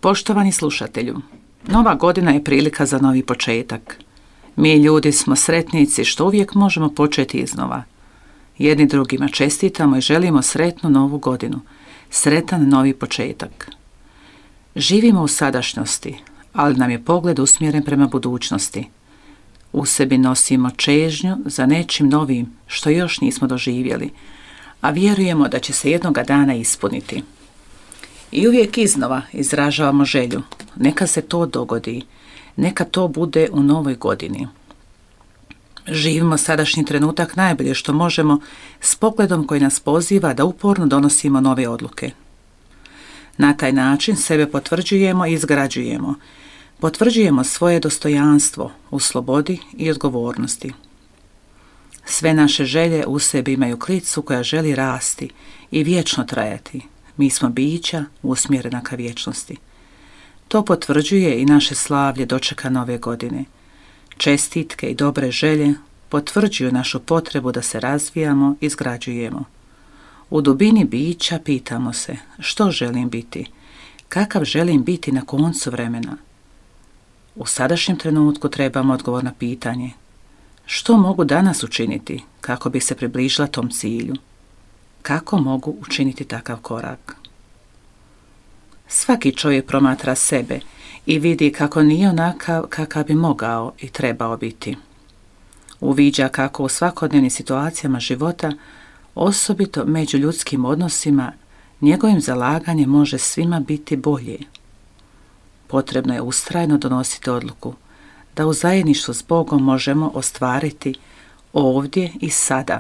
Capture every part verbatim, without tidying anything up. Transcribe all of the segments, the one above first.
Poštovani slušatelju, nova godina je prilika za novi početak. Mi ljudi smo sretnici što uvijek možemo početi iznova. Jedni drugima čestitamo i želimo sretnu novu godinu, sretan novi početak. Živimo u sadašnjosti, ali nam je pogled usmjeren prema budućnosti. U sebi nosimo čežnju za nečim novim što još nismo doživjeli, a vjerujemo da će se jednoga dana ispuniti. I uvijek iznova izražavamo želju, neka se to dogodi, neka to bude u novoj godini. Živimo sadašnji trenutak najbolje što možemo s pogledom koji nas poziva da uporno donosimo nove odluke. Na taj način sebe potvrđujemo i izgrađujemo. Potvrđujemo svoje dostojanstvo u slobodi i odgovornosti. Sve naše želje u sebi imaju klicu koja želi rasti i vječno trajati. Mi smo bića usmjerena ka vječnosti. To potvrđuje i naše slavlje dočeka nove godine. Čestitke i dobre želje potvrđuju našu potrebu da se razvijamo i izgrađujemo. U dubini bića pitamo se što želim biti, kakav želim biti na koncu vremena. U sadašnjem trenutku trebamo odgovor na pitanje što mogu danas učiniti kako bi se približila tom cilju. Kako mogu učiniti takav korak? Svaki čovjek promatra sebe i vidi kako nije onakav kakav bi mogao i trebao biti. Uviđa kako u svakodnevnim situacijama života, osobito među ljudskim odnosima, njegovim zalaganjem može svima biti bolje. Potrebno je ustrajno donositi odluku da u zajedništvu s Bogom možemo ostvariti ovdje i sada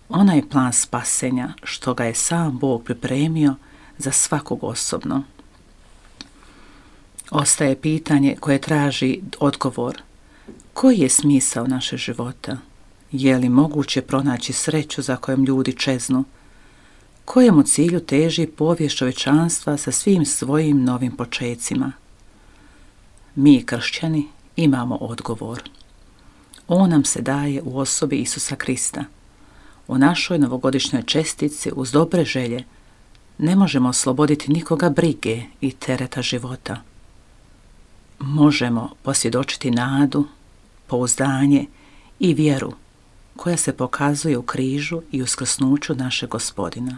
onaj plan spasenja što ga je sam Bog pripremio za svakog osobno. Ostaje pitanje koje traži odgovor. Koji je smisao našeg života? Je li moguće pronaći sreću za kojom ljudi čeznu? Kojemu cilju teži povijest čovječanstva sa svim svojim novim počecima? Mi, kršćani, imamo odgovor. On nam se daje u osobi Isusa Krista. U našoj novogodišnjoj čestici uz dobre želje ne možemo osloboditi nikoga brige i tereta života. Možemo posvjedočiti nadu, pouzdanje i vjeru koja se pokazuje u križu i uskrsnuću našeg Gospodina.